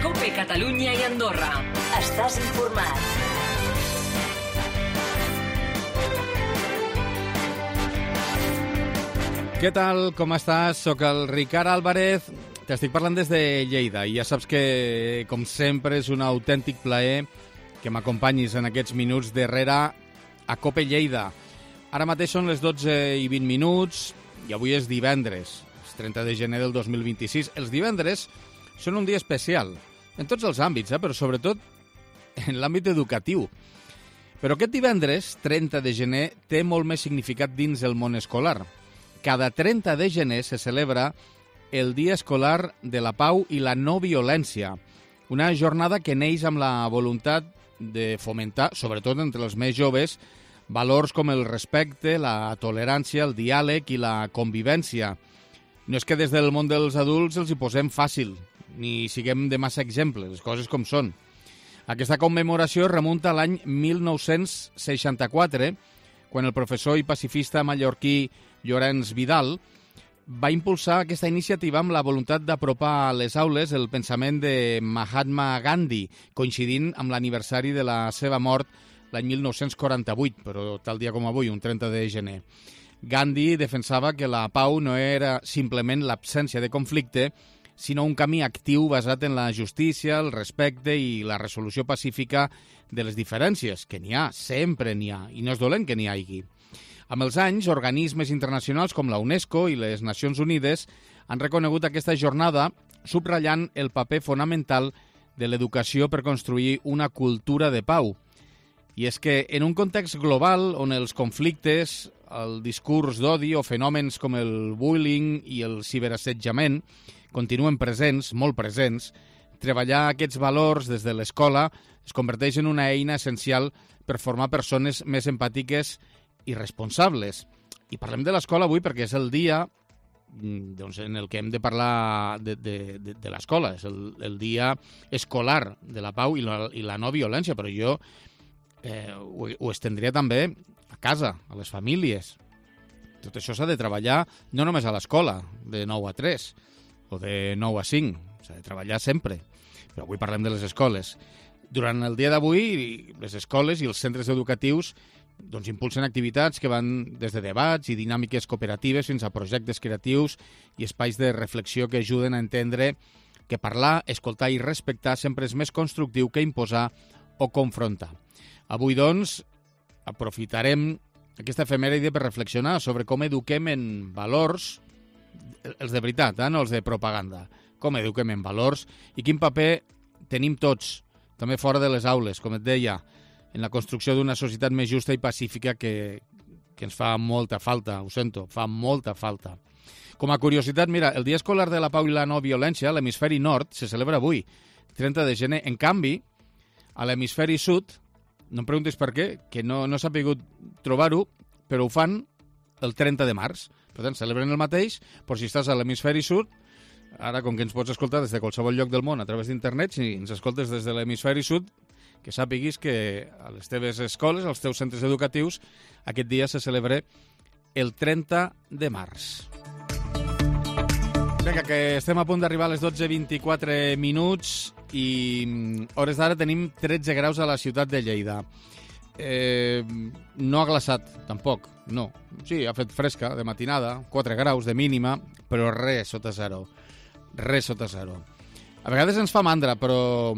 COPE Catalunya i Andorra. Estàs informat. Què tal? Com estàs? Soc el Ricard Álvarez. T'estic parlant des de Lleida i ja saps que, com sempre, és un autèntic plaer que m'acompanyis en aquests minuts darrere a COPE Lleida. Ara mateix són les 12:20 i avui és divendres, el 30 de gener del 2026. Els divendres són un dia especial, en tots els àmbits, però sobretot en l'àmbit educatiu. Però aquest divendres, 30 de gener, té molt més significat dins el món escolar. Cada 30 de gener se celebra el Dia Escolar de la Pau i la No Violència, una jornada que neix amb la voluntat de fomentar, sobretot entre els més joves, valors com el respecte, la tolerància, el diàleg i la convivència. No és que des del món dels adults els hi posem fàcil, ni siguem de massa exemples, les coses com són. Aquesta commemoració remunta a l'any 1964, quan el professor i pacifista mallorquí Llorenç Vidal va impulsar aquesta iniciativa amb la voluntat d'apropar a les aules el pensament de Mahatma Gandhi, coincidint amb l'aniversari de la seva mort l'any 1948, però tal dia com avui, un 30 de gener. Gandhi defensava que la pau no era simplement l'absència de conflicte, sinó un camí actiu basat en la justícia, el respecte i la resolució pacífica de les diferències, que n'hi ha, sempre n'hi ha, i no és dolent que n'hi hagi. Amb els anys, organismes internacionals com la UNESCO i les Nacions Unides han reconegut aquesta jornada subratllant el paper fonamental de l'educació per construir una cultura de pau. I és que en un context global on els conflictes, el discurs d'odi o fenòmens com el bullying i el ciberassetjament continuen presents, molt presents, treballar aquests valors des de l'escola es converteix en una eina essencial per formar persones més empàtiques i responsables. I parlem de l'escola avui perquè és el dia doncs, en el que hem de parlar de l'escola. És el dia escolar de la pau i la no violència, però jo ho estendria també a casa, a les famílies. Tot això s'ha de treballar no només a l'escola, de 9 a 3 o de 9 a 5. S'ha de treballar sempre. Però avui parlem de les escoles. Durant el dia d'avui, les escoles i els centres educatius doncs impulsen activitats que van des de debats i dinàmiques cooperatives fins a projectes creatius i espais de reflexió que ajuden a entendre que parlar, escoltar i respectar sempre és més constructiu que imposar o confrontar. Avui, doncs, aprofitarem aquesta efemèride per reflexionar sobre com eduquem en valors, els de veritat, no els de propaganda, com eduquem en valors i quin paper tenim tots, també fora de les aules, com et deia, en la construcció d'una societat més justa i pacífica que ens fa molta falta, ho sento, fa molta falta. Com a curiositat, mira, el Dia Escolar de la Pau i la No Violència a l'hemisferi nord se celebra avui, 30 de gener. En canvi, a l'hemisferi sud, no em preguntis per què, que no s'ha pogut trobar-ho, però ho fan el 30 de març. Per tant, celebren el mateix, però si estàs a l'hemisferi sud, ara, com que ens pots escoltar des de qualsevol lloc del món a través d'internet, si ens escoltes des de l'hemisferi sud, que sàpiguis que a les teves escoles, als teus centres educatius, aquest dia se celebra el 30 de març. Vinga, que estem a punt d'arribar a les 12:24 i hores d'ara tenim 13 graus a la ciutat de Lleida. No ha glaçat, tampoc, no. Sí, ha fet fresca de matinada, 4 graus de mínima, però res sota zero. Res sota zero. A vegades ens fa mandra, però,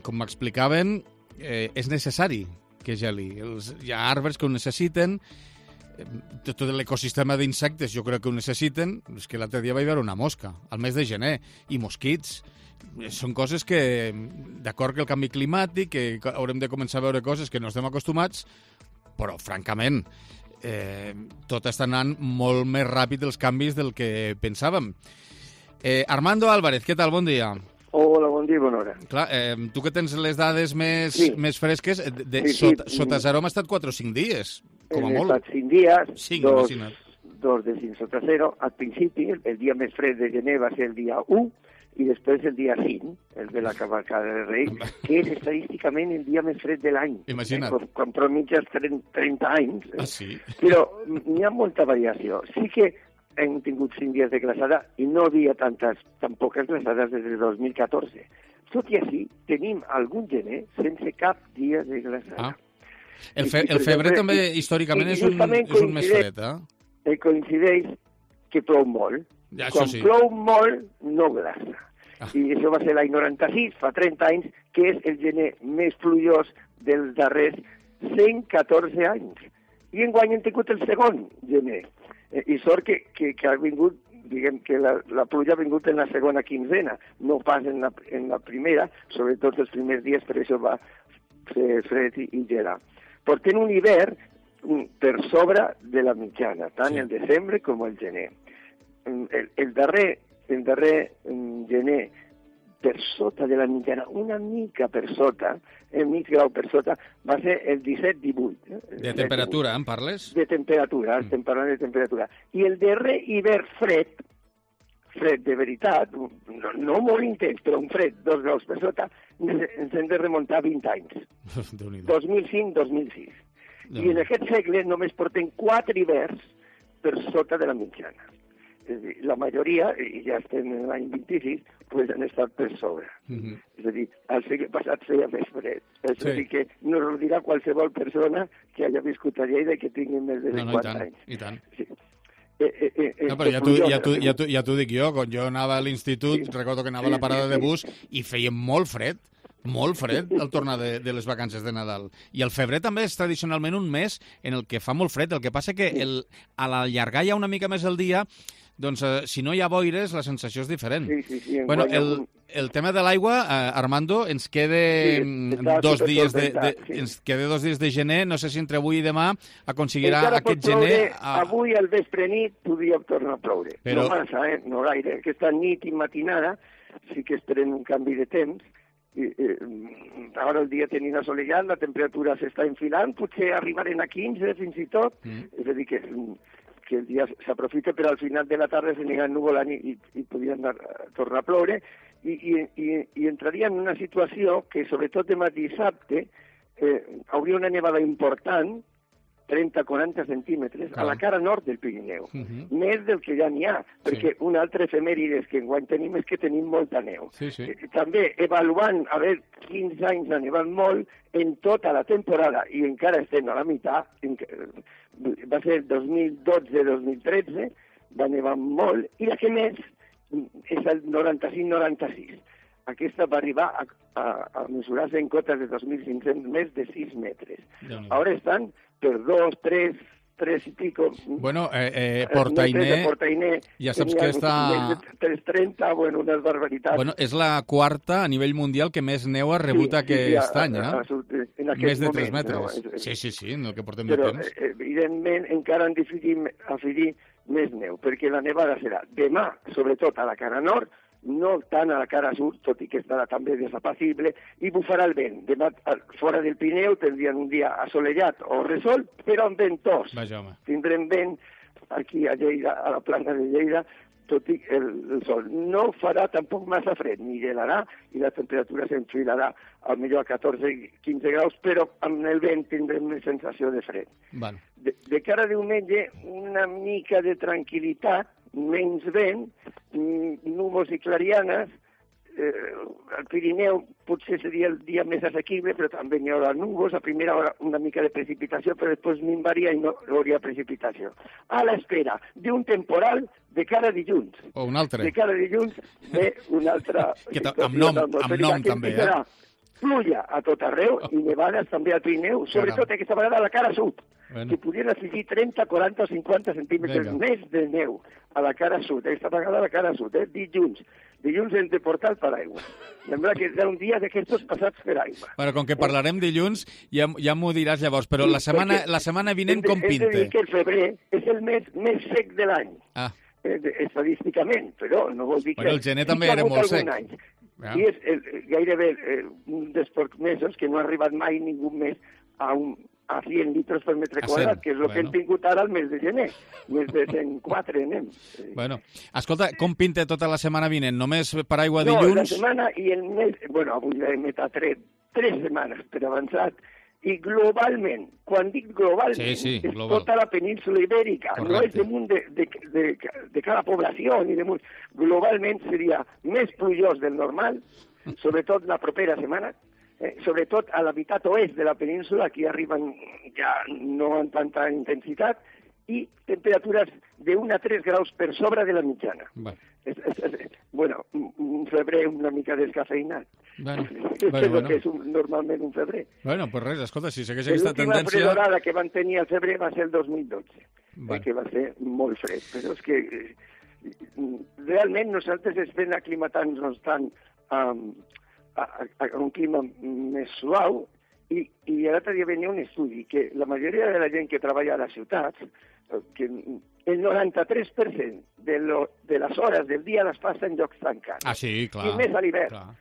com m'explicaven, és necessari que geli. Hi ha arbres que ho necessiten, tot l'ecosistema d'insectes jo crec que ho necessiten. És que l'altre dia vaig veure una mosca, al mes de gener, i mosquits. Són coses que, d'acord que el canvi climàtic, que haurem de començar a veure coses que no estem acostumats, però, francament, tot està anant molt més ràpid els canvis del que pensàvem. Armando Álvarez, què tal? Bon dia. Hola, bon dia i bona hora. Clar, tu que tens les dades més fresques, sota zero hem estat 4 o 5 dies, com a molt. Hem estat 5 dies, 5, dos de 5 sota zero. Al principi, el dia més fred de gener va ser el dia 1 i després el dia 5, el de la cavalcada de Reis, que és estadísticament el dia més fred de l'any. Imagina't. Quan mitges 30 anys. Ah, sí? Però n'hi ha molta variació. Sí que hem tingut 5 dies de glaçada i no havia tan poques glaçades des de 2014. Tot i així, tenim algun gener sense cap dia de glaçada. El febrer també, històricament, és un mes fred, coincideix que plou molt. Ja, quan plou molt, no glaça. I això va ser l'any 96, fa 30 anys, que és el gener més plujós dels darrers 114 anys. I enguany hem tingut el segon gener. I sort que ha vingut, diguem que la pluja ha vingut en la segona quinzena, no pas en la primera, sobretot els primers dies, per això va fer fred i gelar. Portem un hivern per sobre de la mitjana, tant el desembre com el gener. El darrer gener per sota de la mitjana, una mica per sota, mig grau per sota, va ser el 17-18. De temperatura, en parles? De temperatura, estem parlant de temperatura. I el darrer hivern fred de veritat, no molt intens, però un fred 2 graus per sota, ens hem de remuntar 20 anys. 2005-2006. I en aquest segle només portem 4 hiverns per sota de la mitjana. És a dir, la majoria, i ja estem en l'any 26, pues han estat per sobre. És a dir, al segle passat feia més fred. És a dir, que no ho dirà qualsevol persona que hagi viscut a Lleida i que tingui més de 50 anys. I tant. Sí. No, però ja t'ho dic jo, quan jo anava a l'institut, recordo que anava a la parada de bus i feia molt fred al tornar de les vacances de Nadal. I el febrer també és tradicionalment un mes en el que fa molt fred. El que passa que a l'allargar ja una mica més el dia, doncs si no hi ha boires, la sensació és diferent. Sí. Bueno, el tema de l'aigua, Armando, ens queda 2 dies de gener. No sé si entre avui i demà aconseguirà aquest gener... Avui al vespre nit podria tornar a ploure. No massa, no gaire. Aquesta nit i matinada sí que esperem un canvi de temps. Ara el dia tenim assolellat, la temperatura s'està enfilant, potser arribarem a 15 fins i tot, és a dir que el dia s'aprofita, però al final de la tarda s'anirà ennuvolant i podrien tornar a ploure i entraria en una situació que sobretot demà dissabte hauria una nevada important, 30-40 centímetres, a la cara nord del Pirineu. Més del que ja n'hi ha, perquè un altre efemèrides que enguany tenim és que tenim molta neu. També avaluant a veure quins anys ha nevat molt en tota la temporada, i encara estem a la meitat, va ser el 2012-2013, va nevar molt, i la que més és el 95-96. Aquesta va arribar a mesurar-se en cotes de 2.500 més de 6 metres. Ara estan per 2, 3 i pico. Bueno, Portainer, ja saps que està... 330, bueno, unes barbaritats. Bueno, és la quarta a nivell mundial que més neu ha rebut aquest any, més de 3 metres. Sí, en el que portem de temps. Però, evidentment, encara han decidit afegir més neu, perquè la nevada serà demà, sobretot a la cara nord, no tant a la cara sud, tot i que estarà també desapacible, i bufarà el vent. Demà, fora del Pirineu, tindrien un dia assolellat o resolt, però amb ventós. Tindrem vent aquí a Lleida, a la plana de Lleida, tot i el sol. No farà tampoc massa fred, ni gelarà, i la temperatura s'enfilarà al millor a 14-15 graus, però amb el vent tindrem més sensació de fred. De cara a diumenge, una mica de tranquil·litat, menys vent, núvols i clarianes. Al Pirineu potser seria el dia més assequible, però també n'hi haurà núvols, a primera hora una mica de precipitació, però després minvaria i no hi hauria precipitació. A l'espera d'un temporal de cara a dilluns. O un altre. De cara a dilluns ve una altra situació. Amb nom també, Pluja a tot arreu i nevades també al Pirineu, sobretot aquesta vegada a la cara sud, que podrien afegir 30, 40 o 50 centímetres més de neu a la cara sud, aquesta vegada a la cara sud, dilluns. Dilluns hem de portar el paraigua. Sembla que és un dia d'aquests passats per aigua. Bueno, com que parlarem dilluns, ja m'ho diràs llavors, però la setmana vinent com pinta? Hem de dir que el febrer és el mes més sec de l'any, estadísticament, però no vol dir que... Bueno, el gener també era molt sec. I és gairebé un dels pocs mesos que no ha arribat mai ningú més a 100 litres per metre quadrat, que és el que hem tingut ara al mes de gener. Més de 104 anem. Bueno, escolta, com pinta tota la setmana vinent? Només paraigua dilluns? No, la setmana i el mes... Bueno, avui hem tret 3 setmanes per avançat I globalment, quan dic globalment, sí, és global. tota la península ibèrica, Correcte. no és damunt de cada població, ni damunt. Globalment seria més plujós del normal, sobretot la propera setmana, sobretot a la meitat oest de la península, aquí arriben ja no amb tanta intensitat, i temperatures de 1 a 3 graus per sobre de la mitjana. Bueno, un febrer una mica descafeinat. Bueno. Que és normalment un febrer. Bueno, pues res, escolta, si segueix aquesta tendència... L'última fredorada que van tenir al febrer va ser el 2012, que va ser molt fred, però és que realment nosaltres estem aclimatant-nos tant a un clima més suau i l'altre dia venia un estudi que la majoria de la gent que treballa a les ciutats, que el 93% de les hores del dia les passa en llocs tancats. Ah, sí, clar. I més a l'hivern.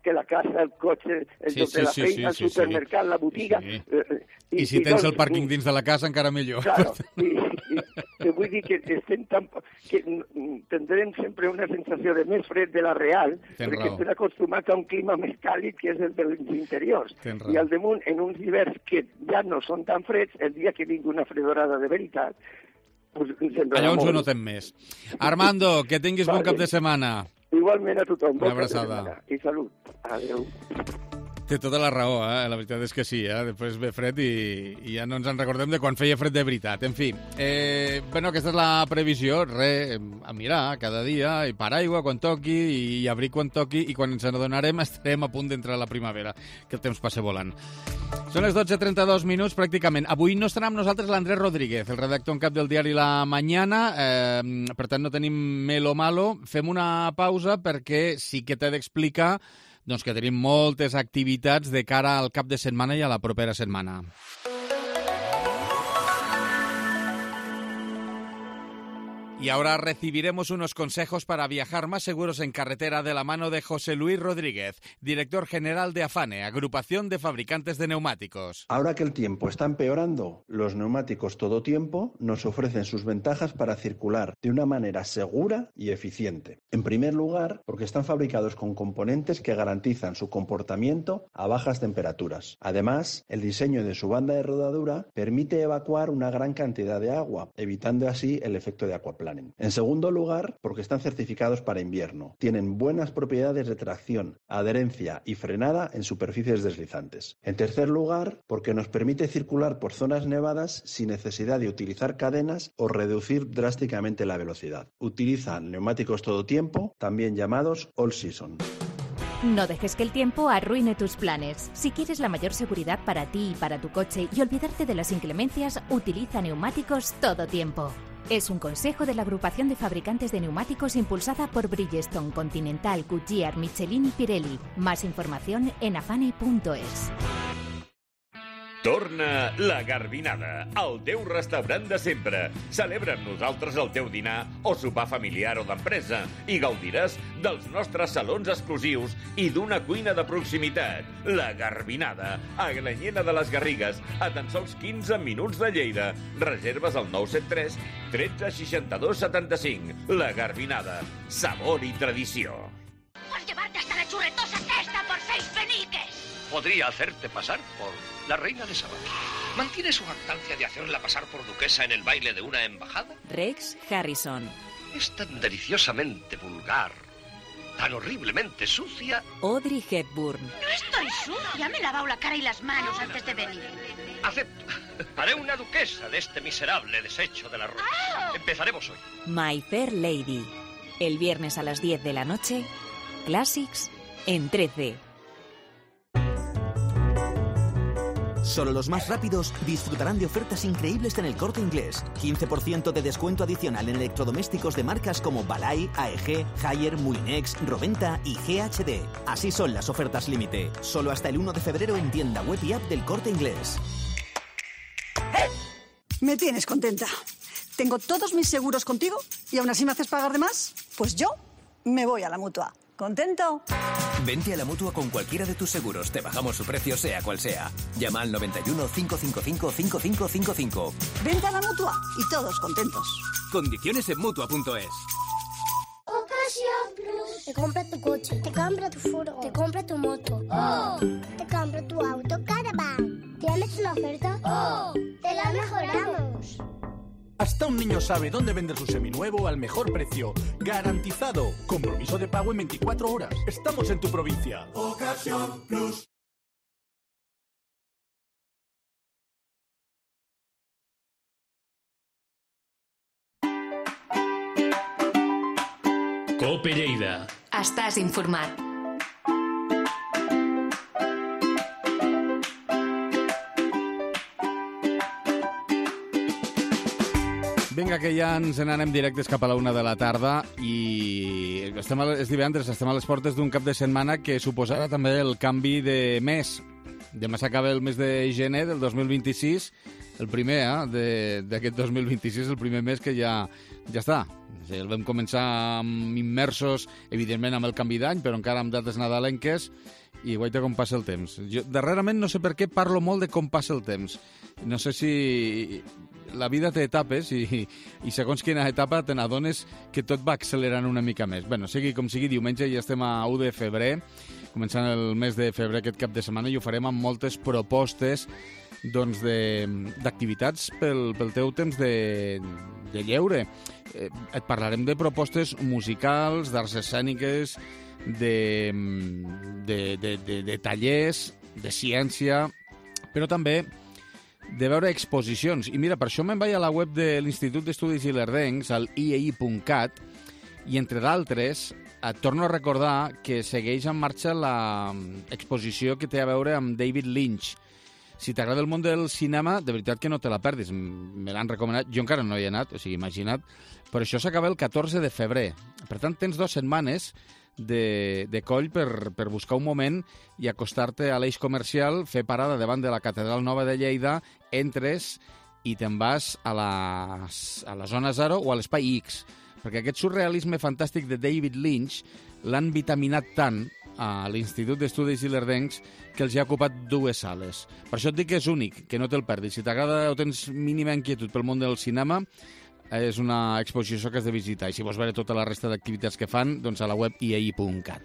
Que la casa, el cotxe, el lloc de la feina, el supermercat, la botiga... I si tens el pàrquing dins de la casa, encara millor. Claro, i vull dir que estem que tindrem sempre una sensació de més fred de la real, perquè estem acostumats a un clima més càlid que és el dels interiors. I al damunt, en uns hiverns que ja no són tan freds, el dia que vingui una fredorada de veritat, allà on ho notem més. Armando, que tinguis bon cap de setmana. Igualment a tothom. Una abraçada. I salut. Adéu. Té tota la raó, la veritat és que sí, després ve fred i ja no ens en recordem de quan feia fred de veritat. En fi, bueno, aquesta és la previsió, a mirar cada dia, i paraigua quan toqui, i abric quan toqui, i quan ens n'adonarem estarem a punt d'entrar a la primavera, que el temps passa volant. Són les 12:32 minuts, pràcticament. Avui no estarà amb nosaltres l'Andrés Rodríguez, el redactor en cap del diari La Mañana, per tant no tenim melo malo. Fem una pausa perquè sí que t'he d'explicar doncs que tenim moltes activitats de cara al cap de setmana i a la propera setmana. Y ahora recibiremos unos consejos para viajar más seguros en carretera de la mano de José Luis Rodríguez, director general de Afane, Agrupación de Fabricantes de Neumáticos. Ahora que el tiempo está empeorando, los neumáticos todo tiempo nos ofrecen sus ventajas para circular de una manera segura y eficiente. En primer lugar, porque están fabricados con componentes que garantizan su comportamiento a bajas temperaturas. Además, el diseño de su banda de rodadura permite evacuar una gran cantidad de agua, evitando así el efecto de aquaplaning. En segundo lugar, porque están certificados para invierno. Tienen buenas propiedades de tracción, adherencia y frenada en superficies deslizantes. En tercer lugar, porque nos permite circular por zonas nevadas sin necesidad de utilizar cadenas o reducir drásticamente la velocidad. Utilizan neumáticos todo tiempo, también llamados all season. No dejes que el tiempo arruine tus planes. Si quieres la mayor seguridad para ti y para tu coche y olvidarte de las inclemencias, utiliza neumáticos todo tiempo. Es un consejo de la Agrupación de Fabricantes de Neumáticos impulsada por Bridgestone, Continental, Goodyear, Michelin y Pirelli. Más información en afane.es. Torna la Garbinada, el teu restaurant de sempre. Celebra amb nosaltres el teu dinar o sopar familiar o d'empresa i gaudiràs dels nostres salons exclusius i d'una cuina de proximitat. La Garbinada, a Glanyena de les Garrigues, a tan sols 15 minuts de Lleida. Reserves al 973 13 62 75. La Garbinada, sabor y tradició. Por llevarte hasta la churretosa cesta por 6 peniques. Podría hacerte pasar por la reina de Sabah. ¿Mantiene su jactancia de hacerla pasar por duquesa en el baile de una embajada? Rex Harrison. Es tan deliciosamente vulgar, tan horriblemente sucia. Audrey Hepburn. No estoy sucia, me he lavado la cara y las manos antes de venir. Acepto. Haré una duquesa de este miserable desecho de la ruta. Empezaremos hoy. My Fair Lady. El viernes a las 10 de la noche, Classics en 13. Solo los más rápidos disfrutarán de ofertas increíbles en El Corte Inglés. 15% de descuento adicional en electrodomésticos de marcas como Balay, AEG, Haier, Muinex, Roventa y GHD. Así son las ofertas límite. Solo hasta el 1 de febrero en tienda web y app del Corte Inglés. Me tienes contenta. Tengo todos mis seguros contigo y aún así me haces pagar de más. Pues yo me voy a la Mutua. ¿Contento? Vente a la Mutua con cualquiera de tus seguros. Te bajamos su precio sea cual sea. Llama al 91 555 5555. Vente a la Mutua y todos contentos. Condiciones en Mutua.es. Ocasión Plus. Te compra tu coche, te compra tu furgo, te compra tu moto. Te compra tu auto Caravan. ¿Tienes una oferta? ¡Oh! ¡Te la mejoramos! Hasta un niño sabe dónde vender su seminuevo al mejor precio. ¡Garantizado! Compromiso de pago en 24 horas. Estamos en tu provincia. Ocasión Plus. Cope Lleida. Estàs informat. Vinga, que ja ens n'anem directes cap a la 1 de la tarda i és divendres, estem a les portes d'un cap de setmana que suposarà també el canvi de mes. Demà s'acaba el mes de gener del 2026, el primer d'aquest 2026, el primer mes que ja està. El vam començar immersos, evidentment, amb el canvi d'any, però encara amb dates nadalenques, i guaita com passa el temps. Jo, darrerament, no sé per què parlo molt de com passa el temps. No sé si la vida té etapes i segons quina etapa te n'adones que tot va accelerant una mica més. Bé, sigui com sigui, diumenge ja estem a 1 de febrer, començant el mes de febrer aquest cap de setmana, i ho farem amb moltes propostes d'activitats pel teu temps de lleure. Et parlarem de propostes musicals, d'arts escèniques, de tallers, de ciència, però també de veure exposicions. I mira, per això me'n vaig a la web de l'Institut d'Estudis Ilerdencs, al iei.cat, i entre d'altres et torno a recordar que segueix en marxa l'exposició que té a veure amb David Lynch. Si t'agrada el món del cinema, de veritat que no te la perdis. Me l'han recomanat, jo encara no hi he anat, o sigui, imagina't, però això s'acaba el 14 de febrer. Per tant, tens 2 setmanes de coll per buscar un moment i acostar-te a l'eix comercial, fer parada davant de la Catedral Nova de Lleida, entres i te'n vas a la zona 0 o a l'espai X, perquè aquest surrealisme fantàstic de David Lynch l'han vitaminat tant a l'Institut d'Estudis Ilerdencs que els hi ha ocupat 2 sales. Per això et dic que és únic, que no te'l perdis. Si t'agrada o tens mínima inquietud pel món del cinema, és una exposició que has de visitar. I si vols veure tota la resta d'activitats que fan, doncs a la web iei.cat.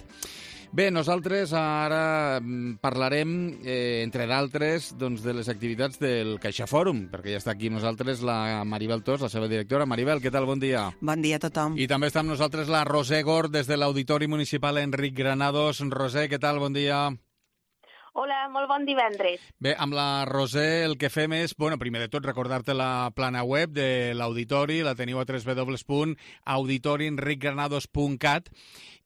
Bé, nosaltres ara parlarem, entre d'altres, de les activitats del CaixaFòrum, perquè ja està aquí amb nosaltres la Maribel Tos, la seva directora. Maribel, què tal? Bon dia. Bon dia a tothom. I també està amb nosaltres la Roser Gord, des de l'Auditori Municipal Enric Granados. Roser, què tal? Bon dia. Hola, molt bon divendres. Bé, amb la Roser el que fem és, primer de tot, recordar-te la plana web de l'Auditori, la teniu a www.auditorienricgranados.cat,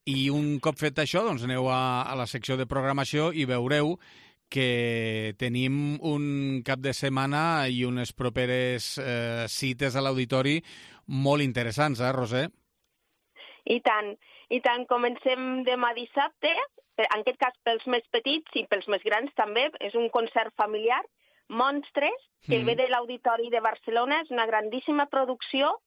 i un cop fet això, doncs aneu a la secció de programació i veureu que tenim un cap de setmana i unes properes cites a l'Auditori molt interessants, Roser? I tant. Comencem demà dissabte, en aquest cas pels més petits i pels més grans també. És un concert familiar, Monstres, que ve de l'Auditori de Barcelona. És una grandíssima producció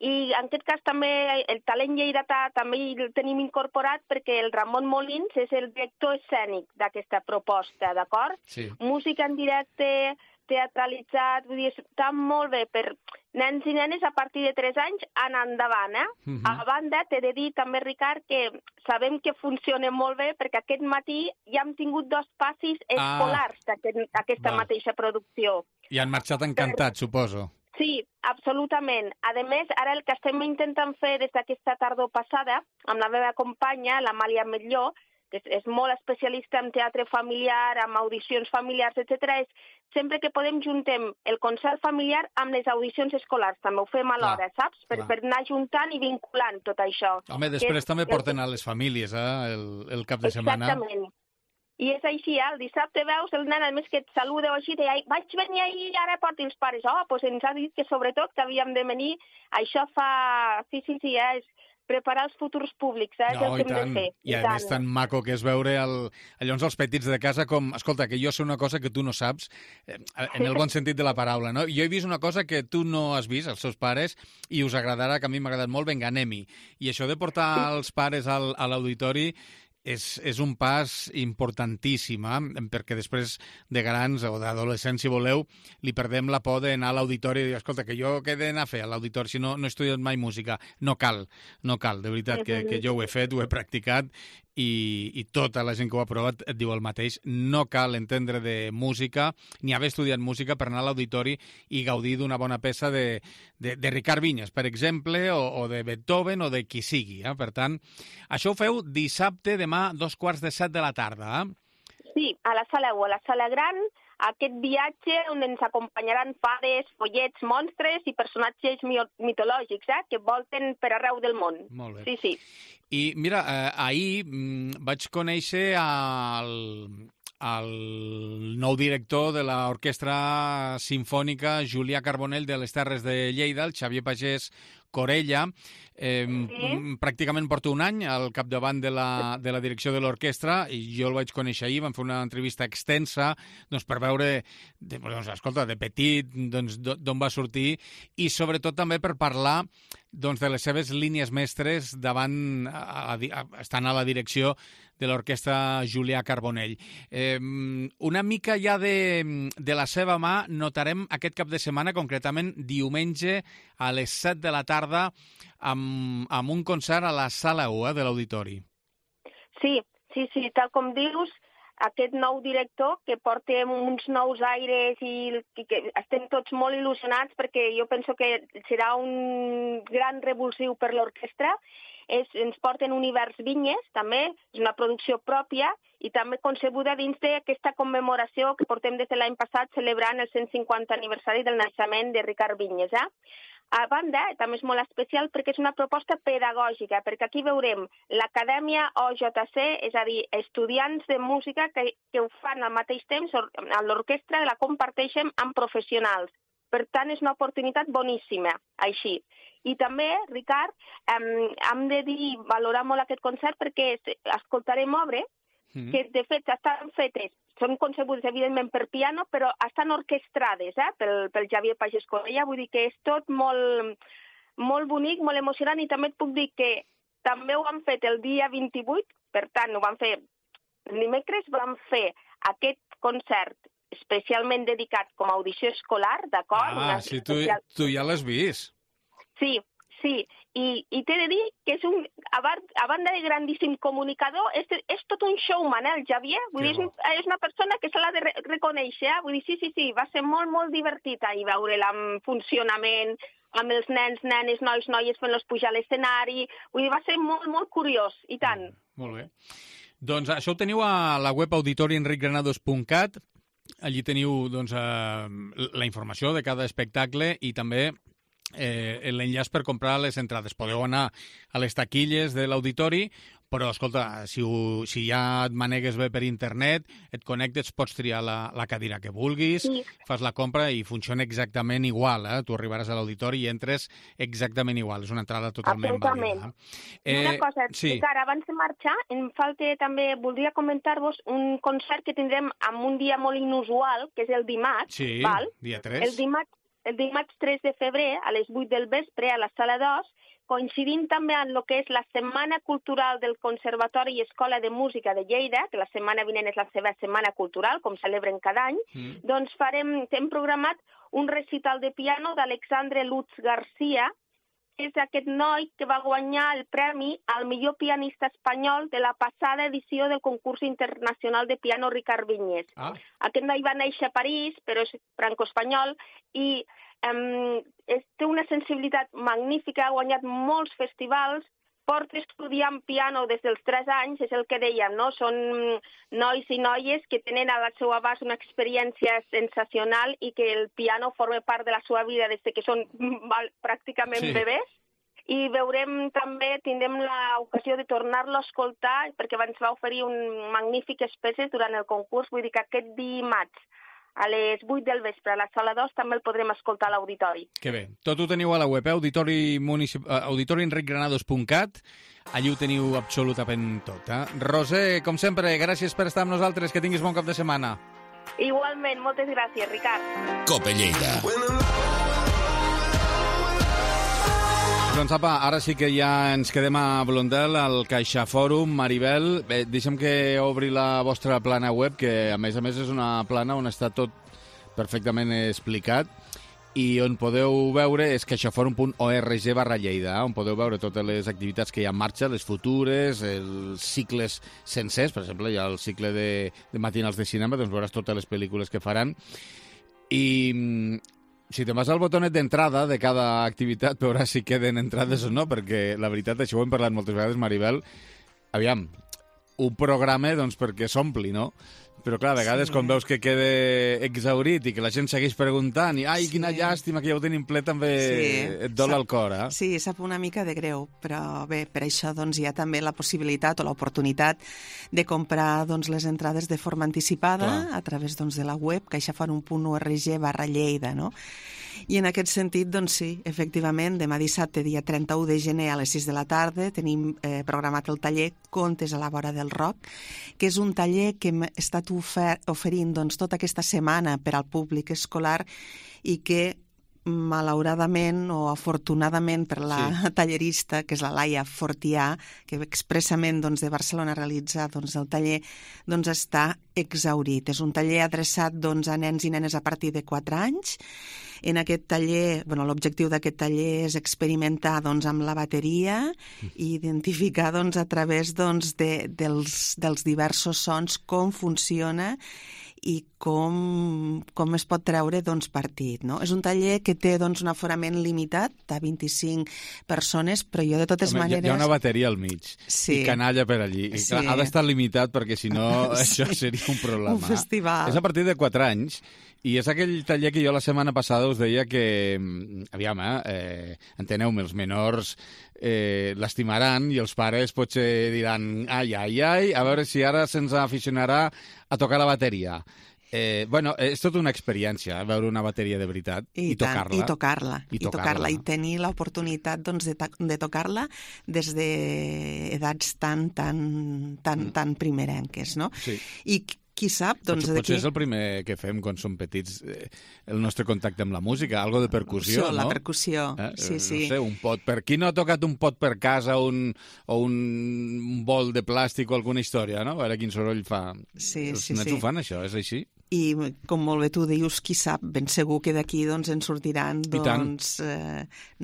i en aquest cas també el talent lleidatà també el tenim incorporat perquè el Ramon Molins és el director escènic d'aquesta proposta, d'acord? Sí. Música en directe, teatralitzat, vull dir, està molt bé per nens i nenes a partir de 3 anys anar endavant, A banda, t'he de dir també, Ricard, que sabem que funciona molt bé perquè aquest matí ja hem tingut 2 passis escolars d'aquesta mateixa producció. I han marxat encantats, suposo. Sí, absolutament. A més, ara el que estem intentant fer des d'aquesta tardor passada, amb la meva companya, l'Amàlia Metlló, que és molt especialista en teatre familiar, amb audicions familiars, etc., és sempre que podem juntem el concert familiar amb les audicions escolars. També ho fem alhora, saps? Per anar juntant i vinculant tot això. Home, després també porten a les famílies, el cap de setmana. Exactament. I és així, el dissabte veus el nen, a més que et saluda o així, de vaig venir ahir i ara porti els pares. Doncs ens ha dit que sobretot que havíem de venir, això fa... Sí, és preparar els futurs públics, és el que hem de fer. I a més tan maco que és veure llavors els petits de casa com, escolta, que jo sé una cosa que tu no saps, en el bon sentit de la paraula, no? Jo he vist una cosa que tu no has vist, els seus pares, i us agradarà, que a mi m'ha agradat molt, vinga, anem-hi. I això de portar els pares a l'auditori és un pas importantíssim, perquè després de grans o d'adolescents, si voleu, li perdem la por d'anar a l'auditori i dir, escolta, que jo què he d'anar a fer a l'auditori si no he estudiat mai música? No cal, de veritat, que jo ho he fet, ho he practicat i tota la gent que ho ha provat et diu el mateix. No cal entendre de música ni haver estudiat música per anar a l'auditori i gaudir d'una bona peça de Ricard Vinyes, per exemple, o de Beethoven o de qui sigui. Per tant, això ho feu dissabte, demà, 6:45 de la tarda. Sí, a la sala 1, a la sala gran, aquest viatge on ens acompanyaran fades, follets, monstres i personatges mitològics que volten per arreu del món. Molt bé. Sí, sí. I mira, ahir vaig conèixer el nou director de l'Orquestra Simfònica Julià Carbonell de les Terres de Lleida, el Xavier Pagès Corella. Pràcticament porta un any al capdavant de la direcció de l'orquestra i jo el vaig conèixer ahir, vam fer una entrevista extensa per veure, escolta, de petit, d'on va sortir i sobretot també per parlar de les seves línies mestres estant a la direcció de l'orquestra Julià Carbonell. Una mica ja de la seva mà notarem aquest cap de setmana, concretament diumenge a les 7 de la tarda, amb un concert a la sala 1 de l'auditori. Sí, tal com dius, aquest nou director que porta uns nous aires i que estem tots molt il·lusionats perquè jo penso que serà un gran revulsiu per l'orquestra. Ens porten Univers Vinyes, també, és una producció pròpia i també concebuda dins d'aquesta commemoració que portem des de l'any passat celebrant el 150 aniversari del naixement de Ricard Vinyes. A banda, també és molt especial perquè és una proposta pedagògica, perquè aquí veurem l'Acadèmia OJC, és a dir, estudiants de música que ho fan al mateix temps a l'orquestra i la comparteixen amb professionals. Per tant, és una oportunitat boníssima, així. I també, Ricard, hem de valorar molt aquest concert perquè escoltarem obres que, de fet, estan fetes, són concebudes, evidentment, per piano, però estan orquestrades pel Xavier Pagès Corella. Vull dir que és tot molt, molt bonic, molt emocionant, i també et puc dir que també ho han fet el dia 28, per tant, ho van fer dimecres, vam fer aquest concert especialment dedicat com a audició escolar, d'acord? Sí, tu ja l'has vist. Sí, i t'he de dir que és a banda de grandíssim comunicador, és tot un showman, el Xavier. Vull dir, és una persona que se l'ha de reconèixer. Vull dir, sí, va ser molt, molt divertit ahir veure'l amb funcionament, amb els nens, nenes, nois, noies fent-los pujar a l'escenari. Vull dir, va ser molt, molt curiós, i tant. Molt bé. Doncs això ho teniu a la web auditorienricgranados.cat. Allí teniu la informació de cada espectacle i també l'enllaç per comprar les entrades. Podeu anar a les taquilles de l'auditori, però, escolta, si ja et manegues bé per internet, et connectes, pots triar la cadira que vulguis, fas la compra i funciona exactament igual. Tu arribaràs a l'auditori i entres exactament igual. És una entrada totalment vàlida. Una cosa, Ricard, abans de marxar, em falta també, voldria comentar-vos un concert que tindrem en un dia molt inusual, que és el dimarts. Sí, dia 3. El dimarts 3 de febrer, a les 8 del vespre, a la sala 2, coincidint també amb el que és la Setmana Cultural del Conservatori i Escola de Música de Lleida, que la setmana vinent és la seva Setmana Cultural, com celebren cada any, doncs hem programat un recital de piano d'Alexandre Lutz García, que és aquest noi que va guanyar el premi al millor pianista espanyol de la passada edició del concurs internacional de piano Ricard Vinyes. Aquest noi va néixer a París, però és franco-espanyol, i té una sensibilitat magnífica, ha guanyat molts festivals, porta estudiant piano des dels 3 anys, és el que dèiem, no? Són nois i noies que tenen al seu abast una experiència sensacional i que el piano forma part de la seva vida des que són pràcticament bebès. I tindrem l'ocasió de tornar-lo a escoltar perquè ens va oferir un magnífic peces durant el concurs. Vull dir que aquest dimarts a les 8 del vespre a la sala 2 també el podrem escoltar a l'auditori. Que bé. Tot ho teniu a la web, auditorienricgranados.cat. Allí ho teniu absolutament tot. Roser, com sempre, gràcies per estar amb nosaltres. Que tinguis bon cap de setmana. Igualment, moltes gràcies, Ricard. Cope Lleida. Doncs apa, ara sí que ja ens quedem a Blondel, al CaixaFòrum. Maribel, deixa'm que obri la vostra plana web, que a més és una plana on està tot perfectament explicat. i on podeu veure és caixaforum.org/Lleida, on podeu veure totes les activitats que hi ha en marxa, les futures, els cicles sencers, per exemple, hi ha el cicle de matinals de cinema, doncs veuràs totes les pel·lícules que faran. I si te'n vas al botonet d'entrada de cada activitat, veuràs si queden entrades o no, perquè la veritat, això ho hem parlat moltes vegades, Maribel, aviam, un programa doncs perquè s'ompli, no? Però, clar, a vegades, quan veus que queda exhaurit i que la gent segueix preguntant i, ai, quina llàstima que ja ho tenim ple, també et dol el cor, eh? Sí, sap una mica de greu, però bé, per això doncs, hi ha també la possibilitat o l'oportunitat de comprar doncs, les entrades de forma anticipada a través doncs, de la web caixaforum.org/Lleida, no? I en aquest sentit, doncs sí, efectivament, demà dissabte, dia 31 de gener a les 6 de la tarda, tenim programat el taller Contes a la vora del Roc, que és un taller que hem estat oferint doncs, tota aquesta setmana per al públic escolar i que malauradament o afortunadament per la tallerista, que és la Laia Fortià, que expressament doncs, de Barcelona realitza doncs, el taller, doncs, està exhaurit. És un taller adreçat doncs, a nens i nenes a partir de 4 anys. En aquest taller, l'objectiu d'aquest taller és experimentar doncs, amb la bateria i identificar doncs, a través doncs, dels diversos sons com funciona i com es pot treure doncs, partit. No? És un taller que té doncs, un aforament limitat de 25 persones, però jo de totes maneres... Hi ha una bateria al mig i canalla per allí. I, clar, ha d'estar limitat perquè si no això seria un problema. Un festival. És a partir de 4 anys i és aquell taller que jo la setmana passada us deia que, aviam, enteneu-me, els menors l'estimaran i els pares potser diran ai, a veure si ara se'ns aficionarà a tocar la bateria. És tota una experiència, veure una bateria de veritat i tocar-la. I tocar-la i tenir l'oportunitat doncs, de tocar-la des d'edats tan primerenques, no? Sí. I qui sap, doncs... Potser és el primer que fem quan som petits, el nostre contacte amb la música, algo de percussió, no? La percussió, sí. No sé, un pot. Per qui no ha tocat un pot per casa o un bol de plàstic o alguna història, no? A veure quin soroll fa. Els nens ho fan, això, és així? I, com molt bé tu dius, qui sap, ben segur que d'aquí doncs, en sortiran doncs,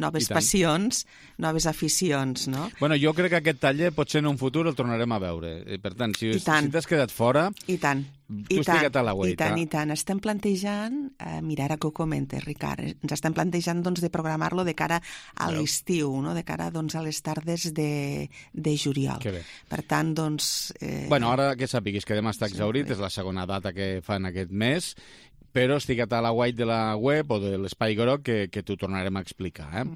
noves passions, noves aficions, no? Bueno, jo crec que aquest taller potser en un futur el tornarem a veure. Per tant, si t'has quedat fora... I tant. Tu explica't a la web. I tant. Estem plantejant, mira, ara que ho comentes, Ricard, ens estem plantejant doncs, de programar-lo de cara a l'estiu, no? De cara doncs, a les tardes de juliol. Que bé. Per tant, doncs... Bueno, ara que sàpiguis que demà està exhaurit, és la segona data que fan aquest mes, però estiga't a la web de la web o de l'Espai Groc que t'ho tornarem a explicar.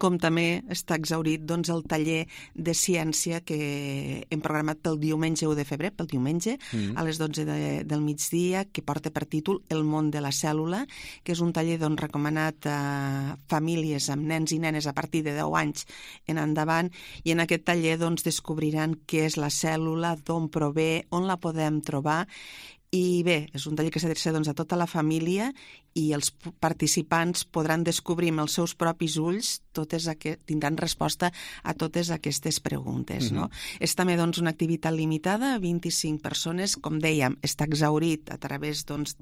Com també està exhaurit doncs, el taller de ciència que hem programat pel diumenge 1 de febrer, pel diumenge, a les 12 del migdia, que porta per títol El món de la cèl·lula, que és un taller doncs, recomanat a famílies amb nens i nenes a partir de 10 anys en endavant, i en aquest taller doncs, descobriran què és la cèl·lula, d'on prové, on la podem trobar. I bé, és un taller que s'adreça doncs, a tota la família i els participants podran descobrir amb els seus propis ulls, tindran resposta a totes aquestes preguntes. No? És també doncs, una activitat limitada, 25 persones, com dèiem, està exhaurit a través, doncs,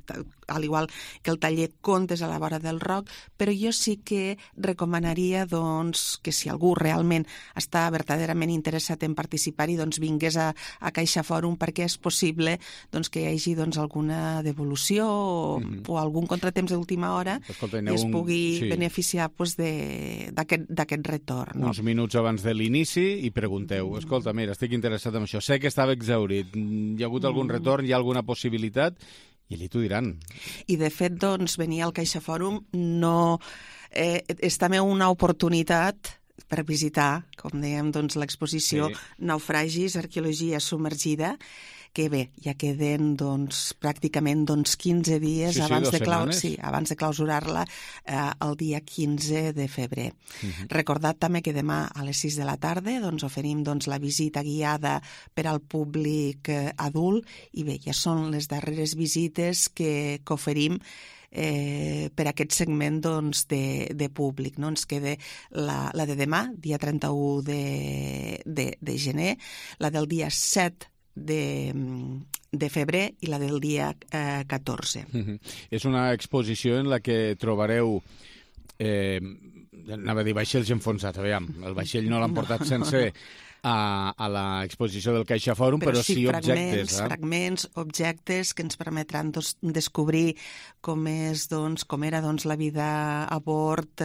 al igual que el taller Contes a la vora del Roc, però jo sí que recomanaria doncs, que si algú realment està verdaderament interessat en participar-hi, doncs, vingués a CaixaForum, perquè és possible doncs, que hi hagi doncs, alguna devolució o algun contratemps d'última hora i es pugui beneficiar doncs, d'aquest retorn. No? Uns minuts abans de l'inici i pregunteu, escolta, mira, estic interessat en això, sé que estava exhaurit, hi ha hagut algun retorn, hi ha alguna possibilitat? I allí t'ho diran. I de fet, doncs, venir al CaixaForum és també una oportunitat per visitar, com dèiem, doncs, l'exposició Naufragis, arqueologia submergida, que bé, ja queden doncs, pràcticament 15 dies abans de clausurar-la el dia 15 de febrer. Recordad també que demà a les 6 de la tarda doncs, oferim doncs, la visita guiada per al públic adult i bé, ja són les darreres visites que oferim per aquest segment doncs, de públic. No? Ens queda la de demà, dia 31 de gener, la del dia 7 de febrer i la del dia 14. És una exposició en la que trobareu anava a dir vaixells enfonsats, aviam, el vaixell no l'han portat sencer a l'exposició del CaixaForum, però sí objectes. Fragments, objectes que ens permetran descobrir com era la vida a bord,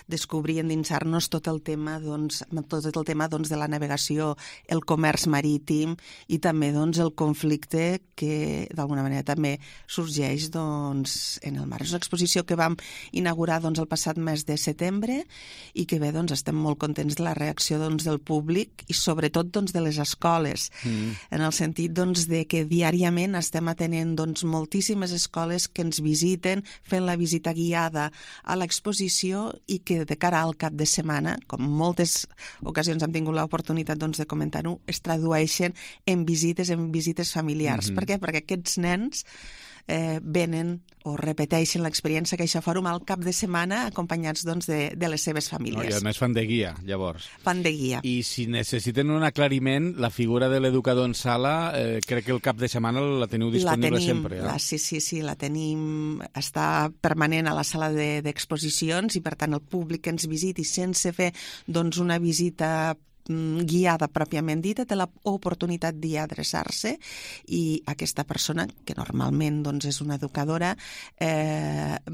descobrir, endinsar-nos tot el tema de la navegació, el comerç marítim i també el conflicte que d'alguna manera també sorgeix en el mar. És una exposició que vam inaugurar el passat mes de setembre i que bé, estem molt contents de la reacció del públic i sobretot de les escoles, en el sentit de que diàriament estem atenent moltíssimes escoles que ens visiten, fent la visita guiada a l'exposició i que de cara al cap de setmana, com moltes ocasions hem tingut l'oportunitat de comentar-ho, es tradueixen en visites familiars. Per què? Perquè aquests nens venen o repeteixen l'experiència CaixaForum al cap de setmana acompanyats de les seves famílies. I a més fan de guia, llavors. Fan de guia. I si necessiten un aclariment, la figura de l'educador en sala, crec que el cap de setmana la teniu disponible sempre. Sí, la tenim, està permanent a la sala d'exposicions i per tant el públic que ens visiti sense fer una visita guiada pròpiament dita, té l'oportunitat d'hi adreçar-se i aquesta persona, que normalment és una educadora,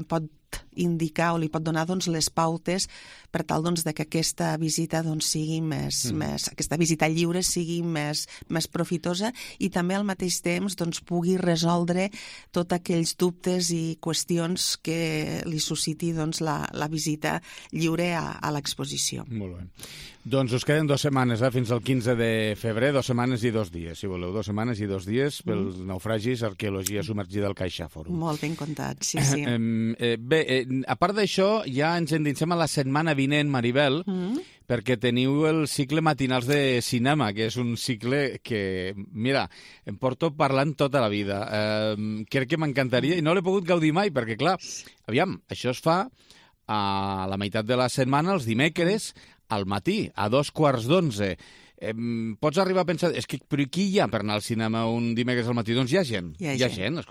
pot indicar o li pot donar les pautes per tal que aquesta visita sigui aquesta visita lliure sigui més profitosa i també al mateix temps pugui resoldre tots aquells dubtes i qüestions que li susciti la visita lliure a l'exposició. Molt bé. Doncs us queden 2 setmanes, fins al 15 de febrer, 2 setmanes i 2 dies, si voleu, 2 setmanes i 2 dies pels naufragis, arqueologia submergida al CaixaForum. Molt ben comptat, sí. Bé, a part d'això, ja ens endinsem a la setmana vinent, Maribel, perquè teniu el cicle Matinals de Cinema, que és un cicle que, mira, em porto parlant tota la vida. Crec que m'encantaria i no l'he pogut gaudir mai, perquè, clar, aviam, això es fa a la meitat de la setmana, els dimecres, al matí, a 11:15. Pots arribar a pensar, però qui hi ha per anar al cinema un dimecres al matí? Doncs hi ha gent. Hi ha gent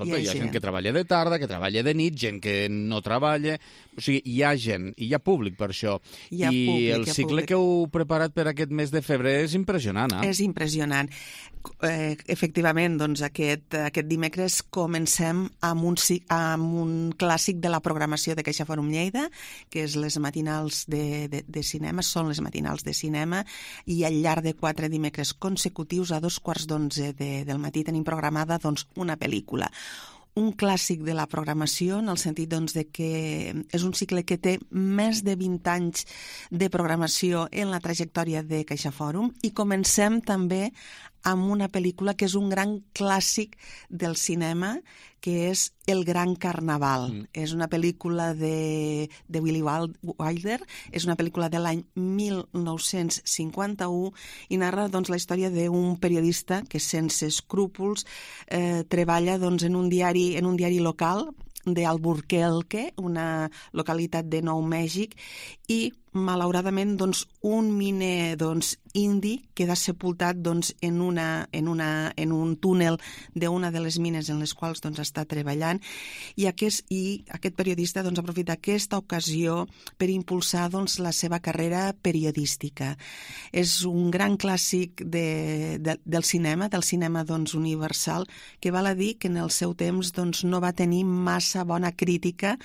que treballa de tarda, que treballa de nit, gent que no treballa. O sigui, hi ha gent, i hi ha públic per això. I el cicle que heu preparat per aquest mes de febrer és impressionant, És impressionant. Efectivament, aquest dimecres comencem amb un clàssic de la programació de CaixaForum Lleida, que és les matinals de cinema, són les matinals de cinema, i al llarg de 4 dimecres consecutius a 11:15 del matí tenim programada una pel·lícula. Un clàssic de la programació, en el sentit de que és un cicle que té més de 20 anys de programació en la trajectòria de CaixaForum i comencem també amb una pel·lícula que és un gran clàssic del cinema, que és El Gran Carnaval. És una pel·lícula de Billy Wilder, és una pel·lícula de l'any 1951 i narra la història d'un periodista que sense escrúpols treballa en un diari local d'Albuquerque, una localitat de Nou Mèxic, i malauradament un miner indi queda sepultat en un túnel d'una de les mines en les quals està treballant i aquest periodista aprofita aquesta ocasió per impulsar la seva carrera periodística. És un gran clàssic del cinema universal, que val a dir que en el seu temps no va tenir massa bona crítica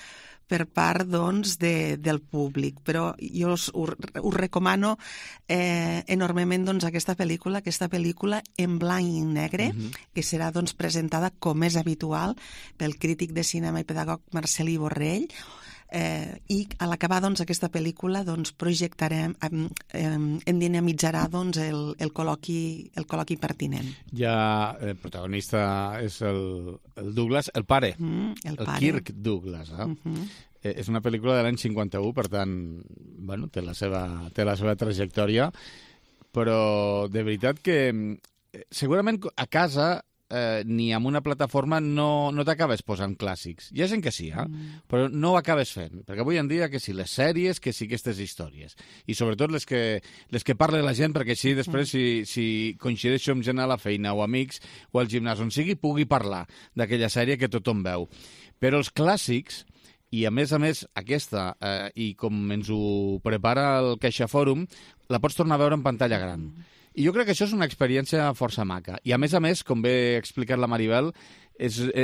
per part del públic, però jo us recomano enormement aquesta pel·lícula en blanc i negre, que serà presentada com és habitual pel crític de cinema i pedagog Marcelí Borrell, i a l'acabar aquesta pel·lícula projectarem, endinamitzarà el col·loqui pertinent. Ja el protagonista és el Douglas, el pare, el Kirk Douglas. És una pel·lícula de l'any 51, per tant, té la seva trajectòria, però de veritat que segurament a casa ni amb una plataforma no t'acabes posant clàssics. Hi ha gent que sí, però no ho acabes fent, perquè avui en dia que sí, les sèries, que sí aquestes històries. I sobretot les que parla la gent, perquè així després, si coincideixo amb gent a la feina o amics o al gimnàs on sigui, pugui parlar d'aquella sèrie que tothom veu. Però els clàssics, i a més, aquesta, i com ens ho prepara el CaixaForum, la pots tornar a veure en pantalla gran. I jo crec que això és una experiència força maca. I a més, com bé ha explicat la Maribel,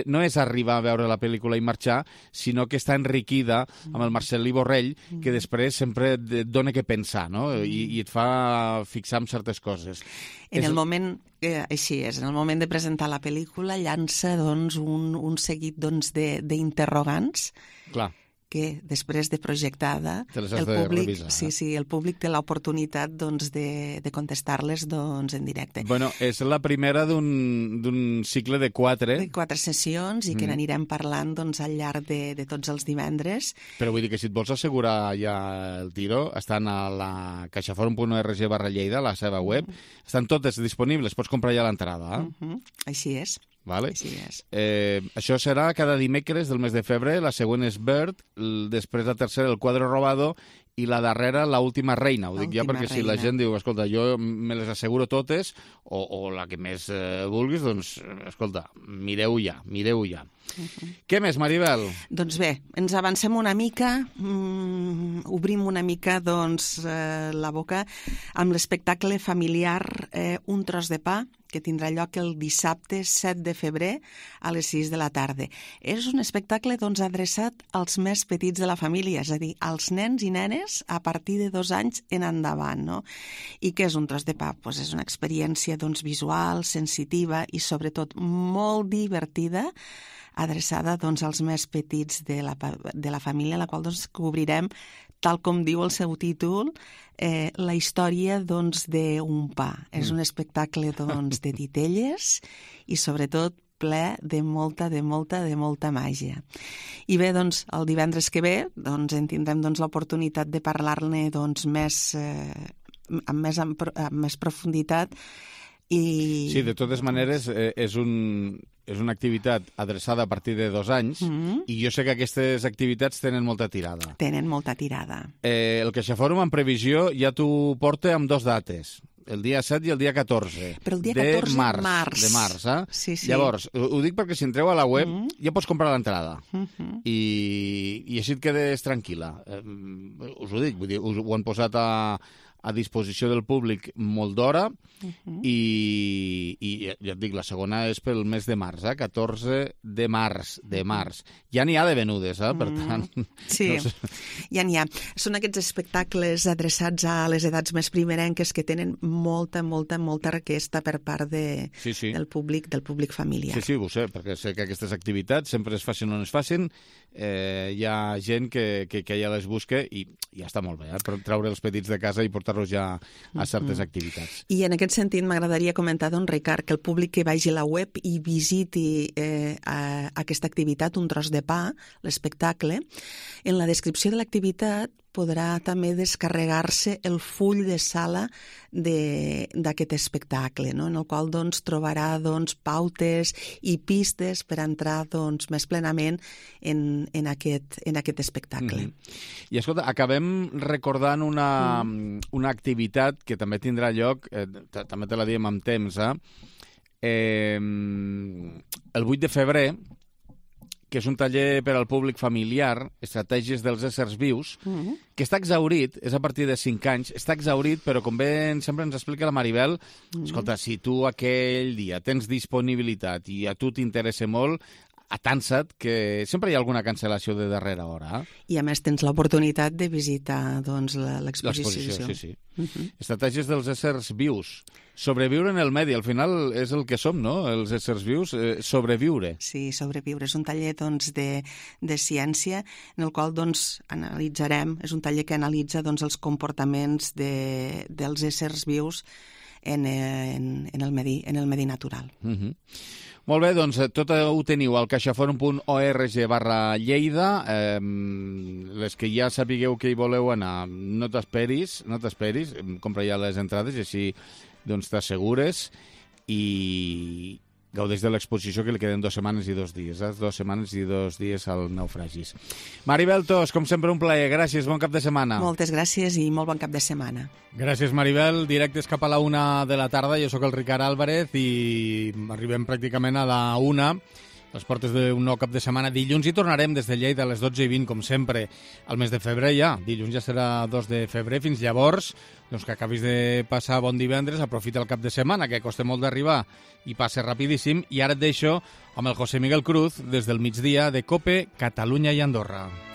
no és arribar a veure la pel·lícula i marxar, sinó que està enriquida amb el Marcel·lí Borrell, que després sempre et dona què pensar, no? I et fa fixar en certes coses. En el moment, així és, en el moment de presentar la pel·lícula llança un seguit d'interrogants. Clar. Que després de projectada el públic té l'oportunitat de contestar-les en directe. Bueno, és la primera d'un cicle de 4. De 4 sessions i que n'anirem parlant al llarg de tots els divendres. Però vull dir que si et vols assegurar ja el tiro, estan a la caixaforum.org/Lleida, la seva web, estan totes disponibles, pots comprar ja l'entrada. Així és. Vale. Així és. Això serà cada dimecres del mes de febrer, la següent és Bird, després la tercera el Cuadro Robado i la darrera la Última Reina. Ho dic ja perquè si la gent diu, escolta, jo me les asseguro totes o la que més vulguis, doncs, escolta, mireu ja. Què més, Maribel? Doncs bé, ens avancem una mica, obrim una mica la boca amb l'espectacle familiar Un tros de pa, que tindrà lloc el dissabte 7 de febrer a les 6 de la tarda. És un espectacle adreçat als més petits de la família, és a dir, als nens i nenes a partir de 2 anys en endavant. No? I què és un tros de pa? Pues és una experiència visual, sensitiva i sobretot molt divertida, adreçada als més petits de la família, la qual cobrirem, tal com diu el seu títol, la història d'un pa. És un espectacle de titelles i sobretot ple de molta màgia. I bé, el divendres que ve en tindrem l'oportunitat de parlar-ne amb més profunditat. Sí, de totes maneres, és una activitat adreçada a partir de 2 anys i jo sé que aquestes activitats tenen molta tirada. El CaixaForum, en previsió, ja t'ho porta amb 2 dates, el dia 7 i el dia 14. Però el dia 14 de març. Sí. Llavors, ho dic perquè si entreu a la web ja pots comprar l'entrada i així et quedes tranquil·la. Us ho dic, ho han posat a disposició del públic molt d'hora i ja et dic, la segona és pel mes de març, 14 de març. Ja n'hi ha de venudes, per tant... Sí, ja n'hi ha. Són aquests espectacles adreçats a les edats més primerenques que tenen molta requesta per part del públic familiar. Sí, ho sé, perquè sé que aquestes activitats sempre es facin on es facin, hi ha gent que ja les busca i ja està molt bé, treure els petits de casa i portar-los ja a certes activitats. I en aquest sentit m'agradaria comentar, Ricard, que el públic que vagi a la web i visiti aquesta activitat, Un tros de pa, l'espectacle, en la descripció de l'activitat podrà també descarregar-se el full de sala d'aquest espectacle, no? En el qual trobarà pautes i pistes per entrar més plenament en aquest espectacle. I escolta, acabem recordant una activitat que també tindrà lloc, també te la diem amb temps, el 8 de febrer, que és un taller per al públic familiar, Estratègies dels éssers vius, que està exhaurit, és a partir de 5 anys, està exhaurit, però com bé sempre ens explica la Maribel, escolta, si tu aquell dia tens disponibilitat i a tu t'interessa molt, atansa't, que sempre hi ha alguna cancel·lació de darrera hora. I a més tens l'oportunitat de visitar l'exposició. Sí. Estratègies dels éssers vius. Sobreviure en el medi, al final és el que som, no? Els éssers vius, sobreviure. Sí, sobreviure. És un taller de ciència en el qual analitzarem, és un taller que analitza els comportaments dels éssers vius en el medi natural. Molt bé, doncs tot ho teniu al caixaforum.org/Lleida. Les que ja sapigueu que hi voleu anar, no t'esperis, compra ja les entrades i així t'assegures i gaudeix de l'exposició, que li queden 2 setmanes i 2 dies. 2 setmanes i 2 dies al Naufragis. Maribel Tos, com sempre, un plaer. Gràcies, bon cap de setmana. Moltes gràcies i molt bon cap de setmana. Gràcies, Maribel. Directes cap a la 1 de la tarda. Jo sóc el Ricard Álvarez i arribem pràcticament a la 1, les portes d'un nou cap de setmana. Dilluns hi tornarem des de Lleida a les 12:20, com sempre, al mes de febrer ja. Dilluns ja serà 2 de febrer. Fins llavors, doncs que acabis de passar bon divendres, aprofita el cap de setmana, que costa molt d'arribar i passa rapidíssim. I ara et deixo amb el José Miguel Cruz des del migdia de COPE, Catalunya i Andorra.